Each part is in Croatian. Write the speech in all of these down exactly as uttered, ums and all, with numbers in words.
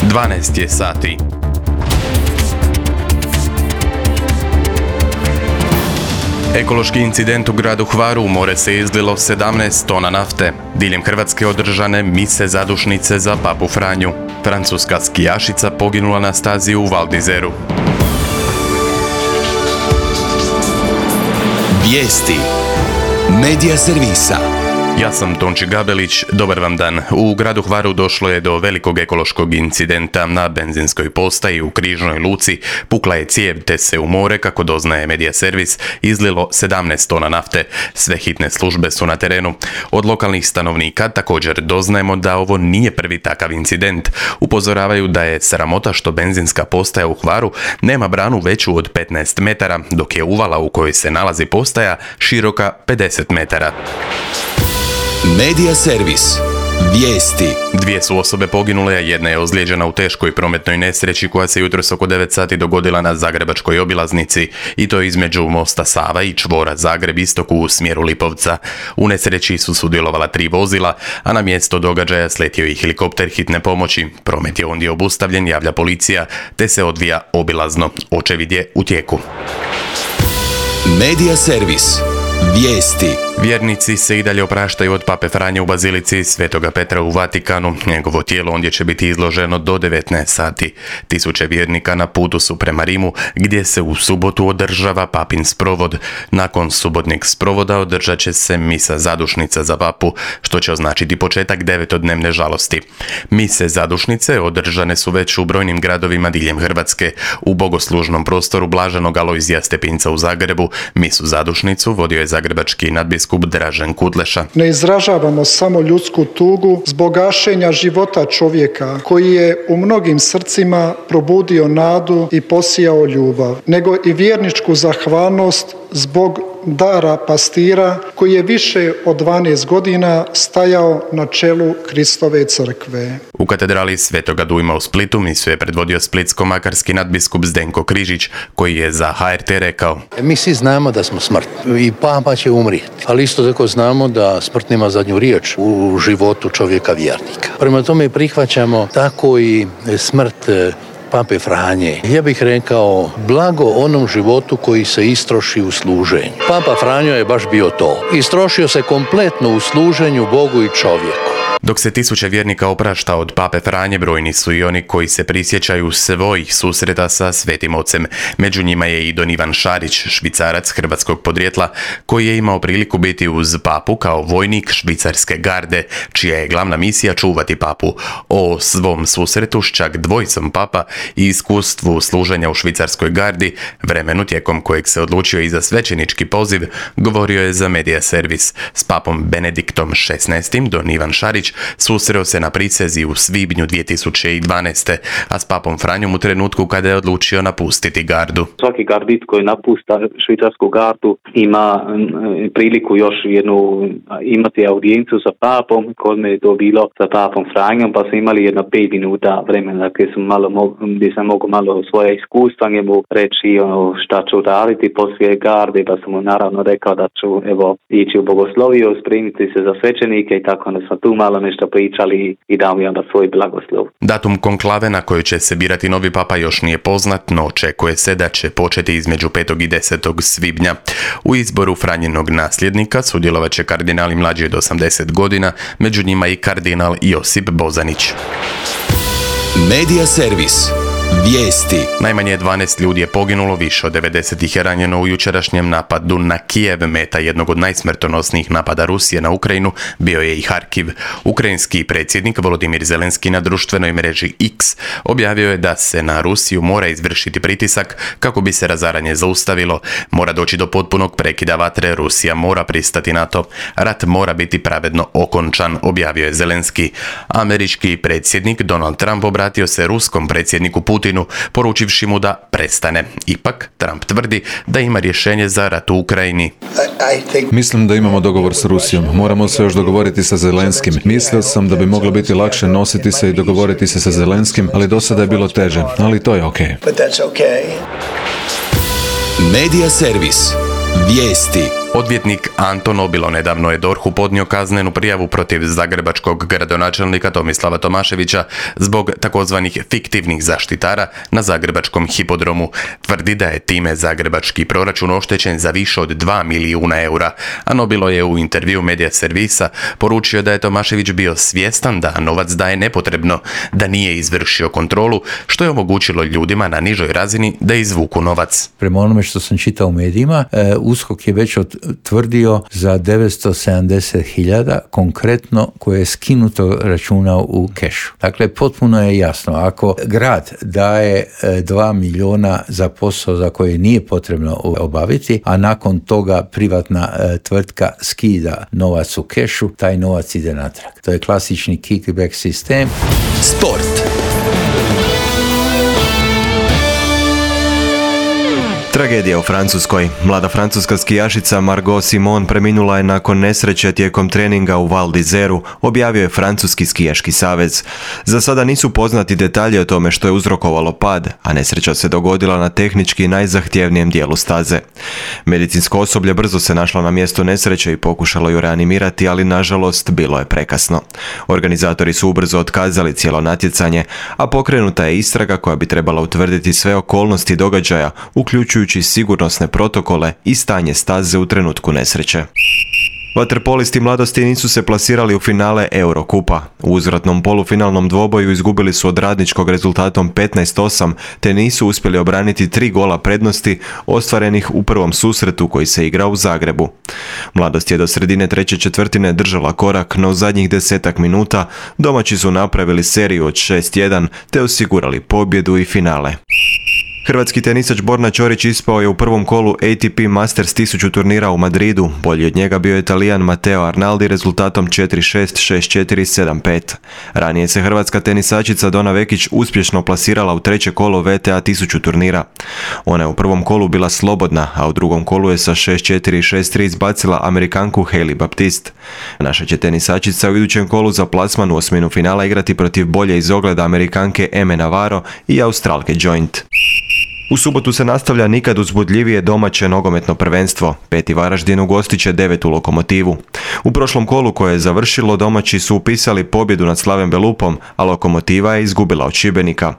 dvanaest je sati. Ekološki incident u gradu Hvaru, u more se izlilo sedamnaest tona nafte. Diljem Hrvatske održane mise zadušnice za Papu Franju. Francuska skijašica poginula na stazi u Val d'Izeru. Vijesti Medija servisa. Ja sam Tonči Gabelić, dobar vam dan. U gradu Hvaru došlo je do velikog ekološkog incidenta. Na benzinskoj postaji u Križnoj luci pukla je cijev te se u more, kako doznaje Medija servis, izlilo sedamnaest tona nafte. Sve hitne službe su na terenu. Od lokalnih stanovnika također doznajemo da ovo nije prvi takav incident. Upozoravaju da je sramota što benzinska postaja u Hvaru nema branu veću od petnaest metara, dok je uvala u kojoj se nalazi postaja široka pedeset metara. Medija servis. Vijesti. Dvije su osobe poginule, a jedna je ozlijeđena u teškoj prometnoj nesreći koja se jutros oko devet sati dogodila na zagrebačkoj obilaznici, i to između mosta Sava i čvora Zagreb istok u smjeru Lipovca. U nesreći su sudjelovala tri vozila, a na mjesto događaja sletio i helikopter hitne pomoći. Promet je ondje obustavljen, javlja policija, te se odvija obilazno. Očevid je u tijeku. Medija servis. Vijesti. Vjernici se i dalje opraštaju od Pape Franje u bazilici Svetoga Petra u Vatikanu. Njegovo tijelo ondje će biti izloženo do devetnaest sati. Tisuće vjernika na putu su prema Rimu, gdje se u subotu održava papin sprovod. Nakon subotnjeg sprovoda održat će se misa zadušnica za papu, što će označiti početak devetodnevne žalosti. Mise zadušnice održane su već u brojnim gradovima diljem Hrvatske. U bogoslužnom prostoru Blaženog Alojzija Stepinca u Zagrebu misu zadušnicu vodio je zagrebački nadbiskup Dražen Kutleša. Ne izražavamo samo ljudsku tugu zbog gašenja života čovjeka koji je u mnogim srcima probudio nadu i posijao ljubav, nego i vjerničku zahvalnost zbog dara pastira koji je više od dvanaest godina stajao na čelu Kristove crkve. U katedrali Svetoga Dujma u Splitu misu je predvodio splitsko-makarski nadbiskup Zdenko Križić, koji je za H R T rekao: Mi svi znamo da smo smrtni i papa će umrijeti, ali isto tako znamo da smrt nema zadnju riječ u životu čovjeka vjernika. Prema tome prihvaćamo tako i smrt Pape Franje. Ja bih rekao, blago onom životu koji se istroši u služenju. Papa Franjo je baš bio to. Istrošio se kompletno u služenju Bogu i čovjeku. Dok se tisuće vjernika oprašta od Pape Franje, brojni su i oni koji se prisjećaju svojih susreta sa Svetim Ocem. Među njima je i don Ivan Šarić, Švicarac hrvatskog podrijetla, koji je imao priliku biti uz papu kao vojnik švicarske garde, čija je glavna misija čuvati papu. O svom susretu s čak dvojicom papa i iskustvu služenja u švicarskoj gardi, vremenu tijekom kojeg se odlučio i za svećenički poziv, govorio je za Medija servis. S papom Benediktom šesnaestim don Ivan Šarić susreo se na prisezi u svibnju dvije tisuće dvanaeste. a s papom Franjom u trenutku kada je odlučio napustiti gardu. Svaki gardit koji napusta švicarsku gardu ima priliku još jednu imati audijencu sa papom. Kod me je to bilo sa papom Franjom, pa smo imali jedno pet minuta vremena gdje sam malo gdje sam mogu malo svoje iskustva njemu reći ono šta ću raditi poslije garde, pa sam mu naravno rekao da ću evo ići u bogosloviju, spremiti se za svećenike i tako da smo tu malo nešto pričali i dao mi onda svoj blagoslov. Datum konklave na kojoj će se birati novi papa još nije poznat, no očekuje se da će početi između petog i desetog svibnja. U izboru Franjinog nasljednika sudjelovat će kardinali mlađi od osamdeset godina, među njima i kardinal Josip Bozanić. Medija servis. Vijesti. Najmanje dvanaest ljudi je poginulo, više od devedeset ih je ranjeno u jučerašnjem napadu na Kijev. Meta jednog od najsmrtonosnijih napada Rusije na Ukrajinu bio je i Harkiv. Ukrajinski predsjednik Volodimir Zelenski na društvenoj mreži X objavio je da se na Rusiju mora izvršiti pritisak kako bi se razaranje zaustavilo. Mora doći do potpunog prekida vatre, Rusija mora pristati na to. Rat mora biti pravedno okončan, objavio je Zelenski. Američki predsjednik Donald Trump obratio se ruskom predsjedniku Putinu, poručivši mu da prestane. Ipak, Trump tvrdi da ima rješenje za rat u Ukrajini. Mislim da imamo dogovor s Rusijom. Moramo se još dogovoriti sa Zelenskim. Mislio sam da bi moglo biti lakše nositi se i dogovoriti se sa Zelenskim, ali do sada je bilo teže. Ali to je okej. Medija servis. Vijesti. Odvjetnik Anton Obilo nedavno je D O R H-u podnio kaznenu prijavu protiv zagrebačkog gradonačelnika Tomislava Tomaševića zbog takozvanih fiktivnih zaštitara na zagrebačkom hipodromu. Tvrdi da je time zagrebački proračun oštećen za više od dva milijuna eura, a Nobilo je u intervju Medija Servisa poručio da je Tomašević bio svjestan da novac daje nepotrebno, da nije izvršio kontrolu, što je omogućilo ljudima na nižoj razini da izvuku novac. Prema onome što sam čitao u medijima, U S K O K je već tvrdio za devetsto sedamdeset hiljada konkretno koje je skinuto računa u kešu. Dakle, potpuno je jasno, ako grad daje dva milijuna za posao za koje nije potrebno obaviti, a nakon toga privatna tvrtka skida novac u kešu, taj novac ide natrag. To je klasični kickback sistem. Sport. Tragedija u Francuskoj. Mlada francuska skijašica Margot Simon preminula je nakon nesreće tijekom treninga u Val d'Izeru, objavio je Francuski skijaški savez. Za sada nisu poznati detalji o tome što je uzrokovalo pad, a nesreća se dogodila na tehnički najzahtjevnijem dijelu staze. Medicinsko osoblje brzo se našlo na mjestu nesreće i pokušalo ju reanimirati, ali nažalost bilo je prekasno. Organizatori su ubrzo otkazali cijelo natjecanje, a pokrenuta je istraga koja bi trebala utvrditi sve okolnosti događaja, uključujući sigurnosne protokole i stanje staze u trenutku nesreće. Vaterpolisti mladosti nisu se plasirali u finale Eurokupa. U uzvratnom polufinalnom dvoboju izgubili su od Radničkog rezultatom petnaest osam, te nisu uspjeli obraniti tri gola prednosti ostvarenih u prvom susretu koji se igrao u Zagrebu. Mladost je do sredine treće četvrtine držala korak, no u zadnjih desetak minuta domaći su napravili seriju od šest jedan te osigurali pobjedu i finale. Hrvatski tenisač Borna Ćorić ispao je u prvom kolu A T P Masters tisuću turnira u Madridu. Bolji od njega bio je Talijan Matteo Arnaldi rezultatom četiri šest, šest četiri, sedam pet. Ranije se hrvatska tenisačica Dona Vekić uspješno plasirala u treće kolo V T A tisuću turnira. Ona je u prvom kolu bila slobodna, a u drugom kolu je sa šest četiri i šest tri izbacila Amerikanku Hailey Baptiste. Naša će tenisačica u idućem kolu za plasman u osminu finala igrati protiv bolje iz ogleda Amerikanke Eme Navarro i Australke Joint. U subotu se nastavlja nikad uzbudljivije domaće nogometno prvenstvo. Peti Varaždin ugostit će devetu Lokomotivu. U prošlom kolu koje je završilo domaći su upisali pobjedu nad Slaven Belupom, a Lokomotiva je izgubila od Šibenika.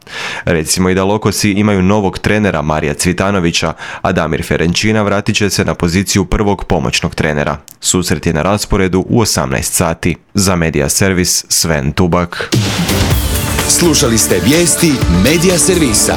Recimo i da Lokosi imaju novog trenera Marija Cvitanovića, a Damir Ferenčina vratit će se na poziciju prvog pomoćnog trenera. Susret je na rasporedu u osamnaest sati. Za Medija Servis Sven Tubak. Slušali ste vijesti Medija Servisa.